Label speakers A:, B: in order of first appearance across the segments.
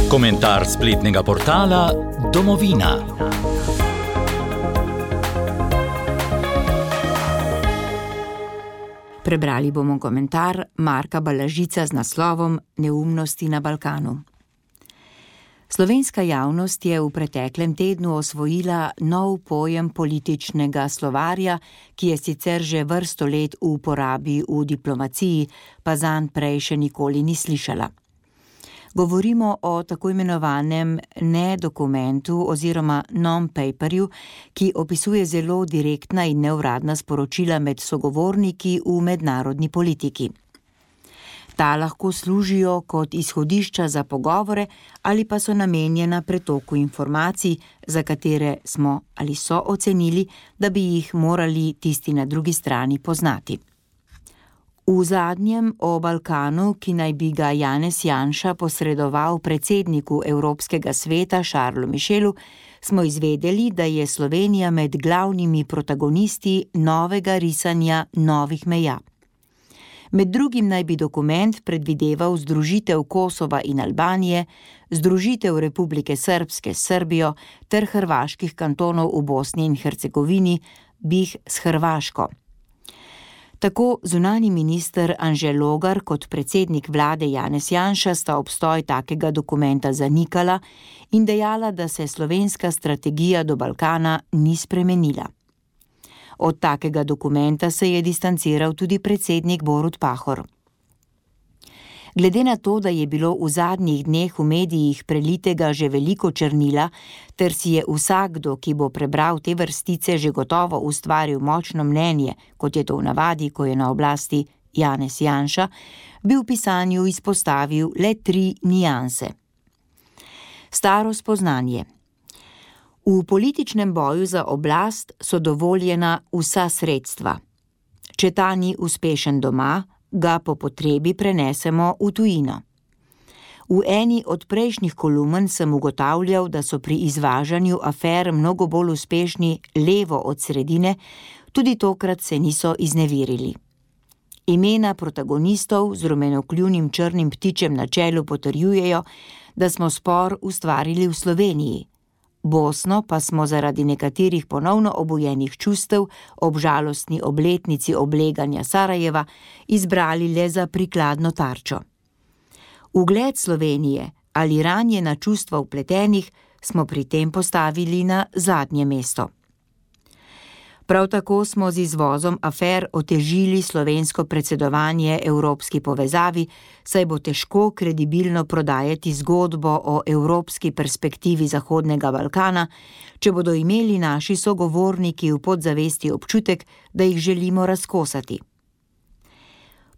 A: Komentar spletnega portala Domovina.
B: Prebrali bomo komentar Marka Balažica z naslovom Neumnosti na Balkanu. Slovenska javnost je v preteklem tednu osvojila nov pojem političnega slovarja, ki je sicer že vrsto let v uporabi v diplomaciji, pa zanj prej še nikoli ni slišala. Govorimo o tako imenovanem ne-dokumentu oziroma non-paperju, ki opisuje zelo direktna in neuradna sporočila med sogovorniki v mednarodni politiki. Ta lahko služijo kot izhodišča za pogovore ali pa so namenjena pretoku informacij, za katere smo ali so ocenili, da bi jih morali tisti na drugi strani poznati. V zadnjem o Balkanu, ki naj bi ga Janez Janša posredoval predsedniku Evropskega sveta Charlesu Michelu, smo izvedeli, da je Slovenija med glavnimi protagonisti novega risanja novih meja. Med drugim naj bi dokument predvideval združitev Kosova in Albanije, združitev Republike Srbske s Srbijo ter hrvaških kantonov v Bosni in Hercegovini, BiH s Hrvaško. Tako zunanji minister Anže Logar kot predsednik vlade Janez Janša sta obstoj takega dokumenta zanikala in dejala, da se slovenska strategija do Balkana ni spremenila. Od takega dokumenta se je distanciral tudi predsednik Borut Pahor. Glede na to, da je bilo v zadnjih dneh v medijih prelitega že veliko črnila, ter si je vsakdo, ki bo prebral te vrstice, že gotovo ustvaril močno mnenje, kot je to v navadi, ko je na oblasti Janez Janša, bi v pisanju izpostavil le 3 nianse. Staro spoznanje. V političnem boju za oblast so dovoljena vsa sredstva. Če ta ni uspešen doma, ga po potrebi prenesemo v tujino. V eni od prejšnjih kolumn sem ugotavljal, da so pri izvažanju afer mnogo bolj uspešni levo od sredine, tudi tokrat se niso izneverili. Imena protagonistov z rumenokljuvnim črnim ptičem na čelu potrjujejo, da smo spor ustvarili v Sloveniji. Bosno pa smo zaradi nekaterih ponovno obujenih čustev ob žalostni obletnici obleganja Sarajeva izbrali le za prikladno tarčo. Ugled Slovenije ali ranjena čustva vpletenih smo pri tem postavili na zadnje mesto. Prav tako smo z izvozom afer otežili slovensko predsedovanje evropski povezavi, saj bo težko kredibilno prodajati zgodbo o evropski perspektivi Zahodnega Balkana, če bodo imeli naši sogovorniki v podzavesti občutek, da jih želimo razkosati.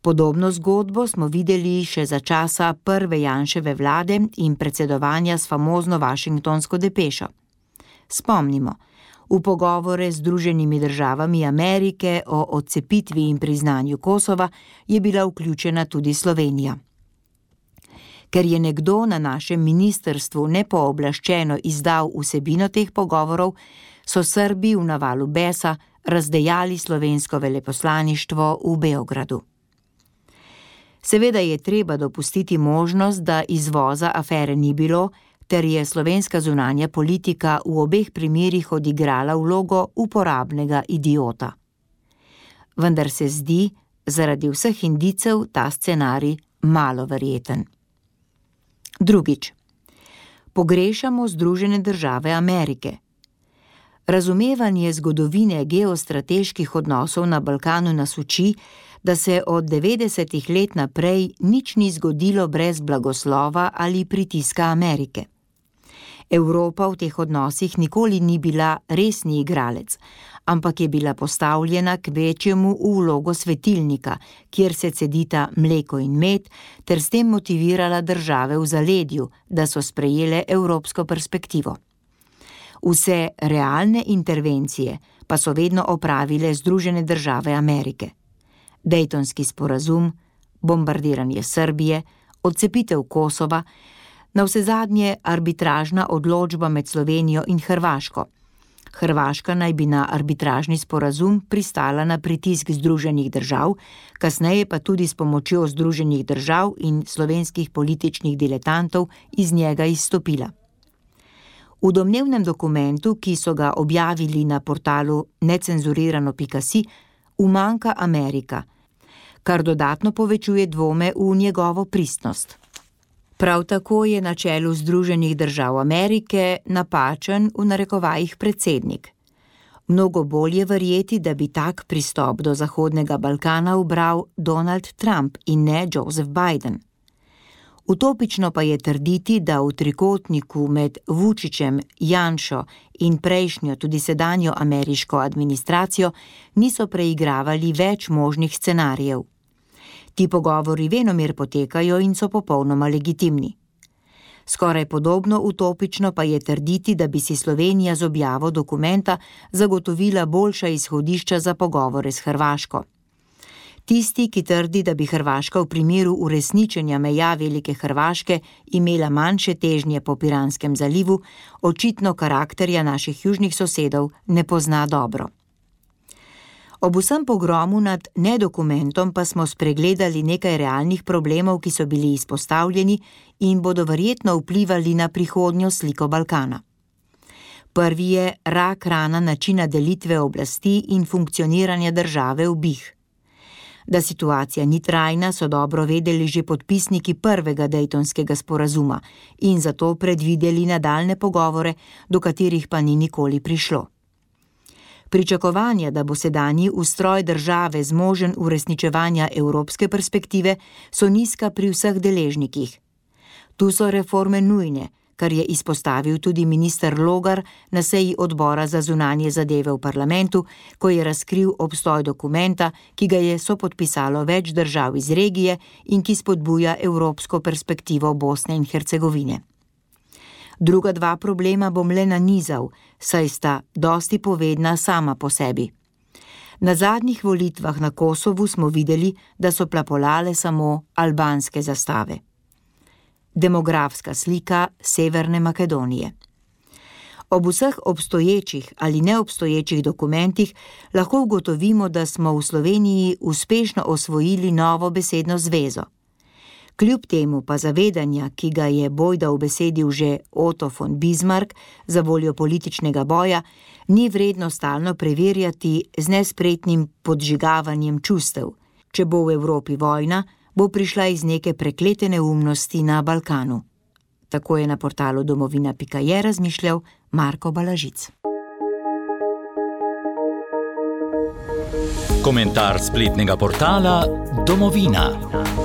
B: Podobno zgodbo smo videli še za časa prve Janševe vlade in predsedovanja s famozno Washingtonsko depešo. Spomnimo, v pogovore z Združenimi državami Amerike o odcepitvi in priznanju Kosova je bila vključena tudi Slovenija. Ker je nekdo na našem ministrstvu nepooblaščeno izdal vsebino teh pogovorov, so Srbi v navalu besa razdejali slovensko veleposlaništvo v Beogradu. Seveda je treba dopustiti možnost, da izvoza afere ni bilo, ter je slovenska zunanja politika v obeh primerih odigrala vlogo uporabnega idiota. Vendar se zdi, zaradi vseh indicev, ta scenarij malo verjeten. Drugič. Pogrešamo Združene države Amerike. Razumevanje zgodovine geostrateških odnosov na Balkanu nas uči, da se od 90-ih let naprej nič ni zgodilo brez blagoslova ali pritiska Amerike. Evropa v teh odnosih nikoli ni bila resni igralec, ampak je bila postavljena k večjemu v vlogo svetilnika, kjer se cedita mleko in med, ter s tem motivirala države v zaledju, da so sprejele evropsko perspektivo. Vse realne intervencije pa so vedno opravile Združene države Amerike. Dejtonski sporazum, bombardiranje Srbije, odcepitev Kosova, navsezadnje arbitražna odločba med Slovenijo in Hrvaško. Hrvaška naj bi na arbitražni sporazum pristala na pritisk Združenih držav, kasneje pa tudi s pomočjo Združenih držav in slovenskih političnih diletantov iz njega izstopila. V domnevnem dokumentu, ki so ga objavili na portalu necenzurirano.si, umanjka Amerika, kar dodatno povečuje dvome v njegovo pristnost. Prav tako je na čelu Združenih držav Amerike napačen v narekovajih predsednik. Mnogo bolje je verjeti, da bi tak pristop do Zahodnega Balkana ubral Donald Trump in ne Joseph Biden. Utopično pa je trditi, da v trikotniku med Vučićem, Janšo in prejšnjo, tudi sedanjo ameriško administracijo niso preigravali več možnih scenarijev. Ti pogovori venomer potekajo in so popolnoma legitimni. Skoraj podobno utopično pa je trditi, da bi si Slovenija z objavo dokumenta zagotovila boljša izhodišča za pogovore s Hrvaško. Tisti, ki trdi, da bi Hrvaška v primeru uresničenja meja Velike Hrvaške imela manjše težnje po Piranskem zalivu, očitno karakterja naših južnih sosedov ne pozna dobro. Ob vsem pogromu nad nedokumentom pa smo spregledali nekaj realnih problemov, ki so bili izpostavljeni in bodo verjetno vplivali na prihodnjo sliko Balkana. Prvi je rak rana načina delitve oblasti in funkcioniranja države v BiH. Da situacija ni trajna, so dobro vedeli že podpisniki prvega Dejtonskega sporazuma in zato predvideli nadaljne pogovore, do katerih pa ni nikoli prišlo. Pričakovanja, da bo sedanji ustroj države zmožen uresničevanja evropske perspektive, so nizka pri vseh deležnikih. Tu so reforme nujne, kar je izpostavil tudi minister Logar na seji odbora za zunanje zadeve v parlamentu, ko je razkril obstoj dokumenta, ki ga je sopodpisalo več držav iz regije in ki spodbuja evropsko perspektivo Bosne in Hercegovine. Druga dva problema bom le nanizal, saj sta dosti povedna sama po sebi. Na zadnjih volitvah na Kosovu smo videli, da so plapolale samo albanske zastave. Demografska slika Severne Makedonije. Ob vseh obstoječih ali neobstoječih dokumentih lahko ugotovimo, da smo v Sloveniji uspešno osvojili novo besedno zvezo. Kljub temu pa zavedanja, ki ga je bojda ubesedil že Otto von Bismarck za voljo političnega boja, ni vredno stalno preverjati z nespretnim podžigavanjem čustev. Če bo v Evropi vojna, bo prišla iz neke preklete neumnosti na Balkanu. Tako je na portalu domovina.je razmišljal Marko Balažic.
A: Komentar spletnega portala Domovina.